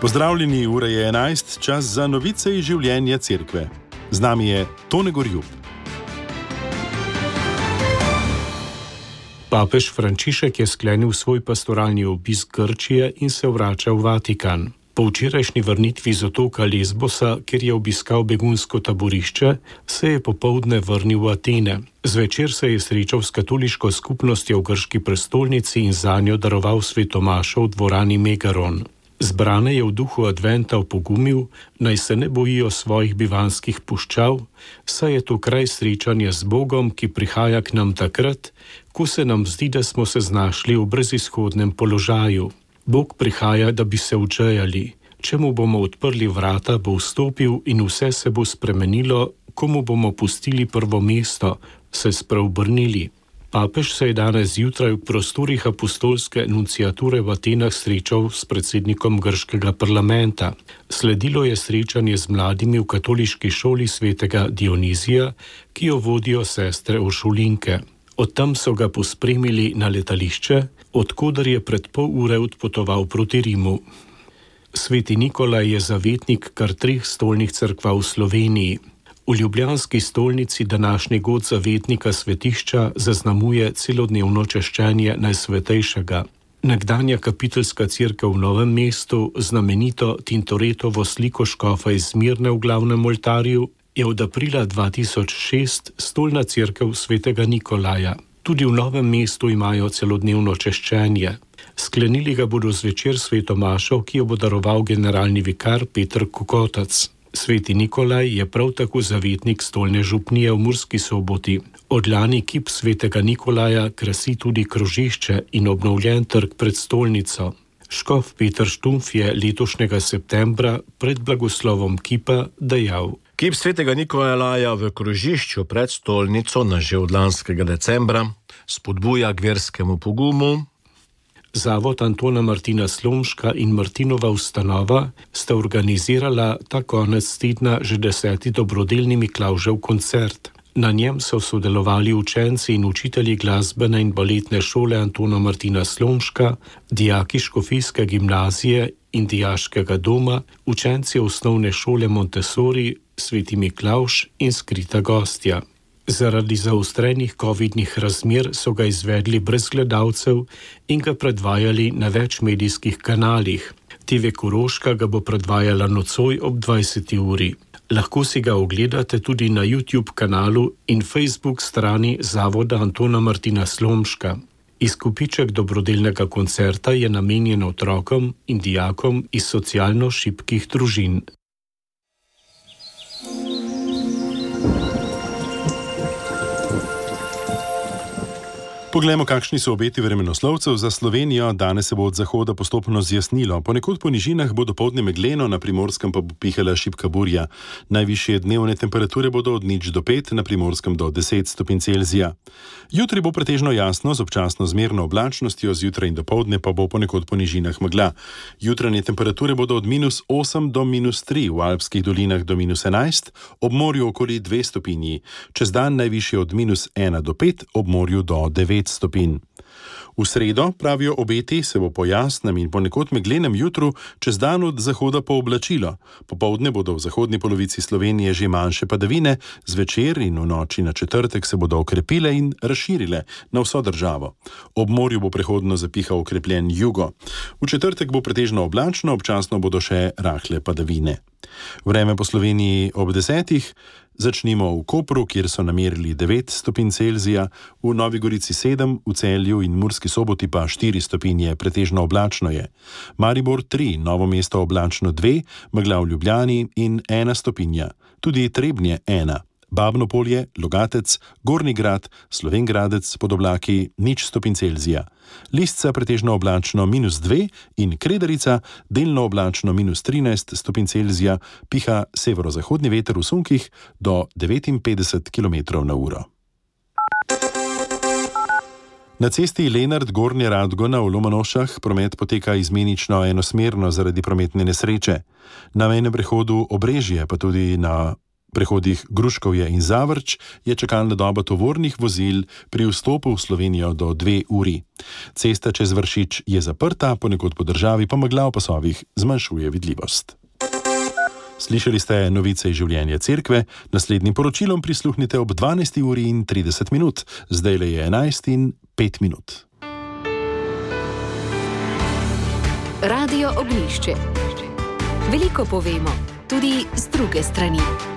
Pozdravljeni, ura je 11, čas za novice iz življenja cerkve. Z nami je Tone Gorjup. Papež Frančišek je sklenil svoj pastoralni obisk Grčije in se vrača v Vatikan. Po včerajšnji vrnitvi z otoka Lesbosa, kjer je obiskal begunsko taborišče, se je popoldne vrnil v Atene. Zvečer se je srečal s katoliško skupnostjo v grški prestolnici in zanjo daroval svetomašo v dvorani Megaron. Zbrane je v duhu adventa opogumil, naj se ne bojijo svojih bivanskih puščav, saj je to kraj srečanja z Bogom, ki prihaja k nam takrat, ko se nam zdi, da smo se znašli v brezizhodnem položaju. Bog prihaja, da bi se odžejali. Če mu bomo odprli vrata, bo vstopil in vse se bo spremenilo, ko mu bomo pustili prvo mesto, se spreobrnili. Papež se je danes zjutraj v prostorih apostolske enunciature v Atenah srečal s predsednikom grškega parlamenta. Sledilo je srečanje z mladimi v katoliški šoli svetega Dionizija, ki jo vodijo sestre Uršulinke. Od tam so ga pospremili na letališče, odkoder je pred pol ure odpotoval proti Rimu. Sveti Nikolaj je zavetnik kar 3 stolnih cerkva v Sloveniji. V ljubljanski stolnici današnji god zavetnika svetišča zaznamuje celodnevno češčenje Najsvetejšega. Nekdanja kapiteljska cerkev v Novem mestu, znamenito Tintoretovo sliko škofa iz Smirne v glavnem oltarju, je od aprila 2006 stolna cerkev svetega Nikolaja. Tudi v Novem mestu imajo celodnevno češčenje. Sklenili ga bodo zvečer svetomašo, ki jo bo daroval generalni vikar Peter Kokotac. Sveti Nikolaj je prav tako zavetnik stolne župnije v Murski Soboti. Od lani kip svetega Nikolaja krasi tudi krožišče in obnovljen trg pred stolnico. Škof Peter Štumf je letošnjega septembra pred blagoslovom kipa dejal: Kip svetega Nikolaja v krožišču pred stolnico na že od lanskega decembra spodbuja k verskemu pogumu. Zavod Antona Martina Slomška in Martinova ustanova sta organizirala ta konec tedna že 10. dobrodelni Miklavžev koncert. Na njem so sodelovali učenci in učitelji glasbene in baletne šole Antona Martina Slomška, dijaki škofijske gimnazije in dijaškega doma, učenci osnovne šole Montessori, Sveti Miklavž in Skrita gostja. Zaradi zaostrenih covidnih razmer so ga izvedli brez gledalcev in ga predvajali na več medijskih kanalih. TV Koroška ga bo predvajala nocoj ob 20. uri. Lahko si ga ogledate tudi na YouTube kanalu in Facebook strani Zavoda Antona Martina Slomška. Izkupiček dobrodelnega koncerta je namenjen otrokom in dijakom iz socialno šibkih družin. Poglejmo, kakšni so obeti vremenoslovcev za Slovenijo. Danes se bo od zahoda postopno zjasnilo. Ponekod po nižinah bo dopoldne megleno, na Primorskem pa bo pihala šibka burja. Najvišje dnevne temperature bodo od 0 do 5, na Primorskem do 10 stopinj Celzija. Jutri bo pretežno jasno, z občasno zmerno oblačnostjo, zjutraj in dopoldne pa bo ponekod po nižinah megla. Jutranje temperature bodo od -8 do -3, v alpskih dolinah do -11, ob morju okoli 2 stopinji. Čez dan najvišje od -1 do 5, ob morju do 9 stopinj. V sredo, pravijo obeti, se bo po jasnem in ponekod meglenem jutru čez dan od zahoda pooblačilo. Popoldne bodo v zahodni polovici Slovenije že manjše padavine, zvečer in v noči na četrtek se bodo okrepile in razširile na vso državo. Ob morju bo prehodno zapihal okrepljen jugo. V četrtek bo pretežno oblačno, občasno bodo še rahle padavine. Vreme po Sloveniji ob 10. Začnimo v Kopru, kjer so namerili 9 stopinj Celzija, v Novi Gorici 7, v Celju in Murski Soboti pa 4 stopinje, pretežno oblačno je. Maribor 3, Novo mesto oblačno 2, megla v Ljubljani in 1 stopinja. Tudi Trebnje 1. Babno Polje, Logatec, Gornji Grad, Slovenj Gradec pod oblaki 0 stopinj Celzija. Lisca pretežno oblačno -2 in Kredarica delno oblačno -13 stopinj Celzija, piha severozahodni veter v sunkih do 59 km/h. Na cesti Lenart-Gornja Radgona v Lomanošah promet poteka izmenično enosmerno zaradi prometne nesreče. Na mejnem prehodu Obrežje pa tudi na prehodih Gruškovje in Zavrč je čakalna doba tovornih vozil pri vstopu v Slovenijo do 2 uri. Cesta čez Vršič je zaprta, ponekod po državi pa megla v pasovih zmanjšuje vidljivost. Slišali ste novice iz življenja cerkve, naslednjim poročilom prisluhnite ob 12 uri in 30 minut, zdaj le je 11 in 5 minut. Radio Ognjišče. Veliko povemo, tudi z druge strani.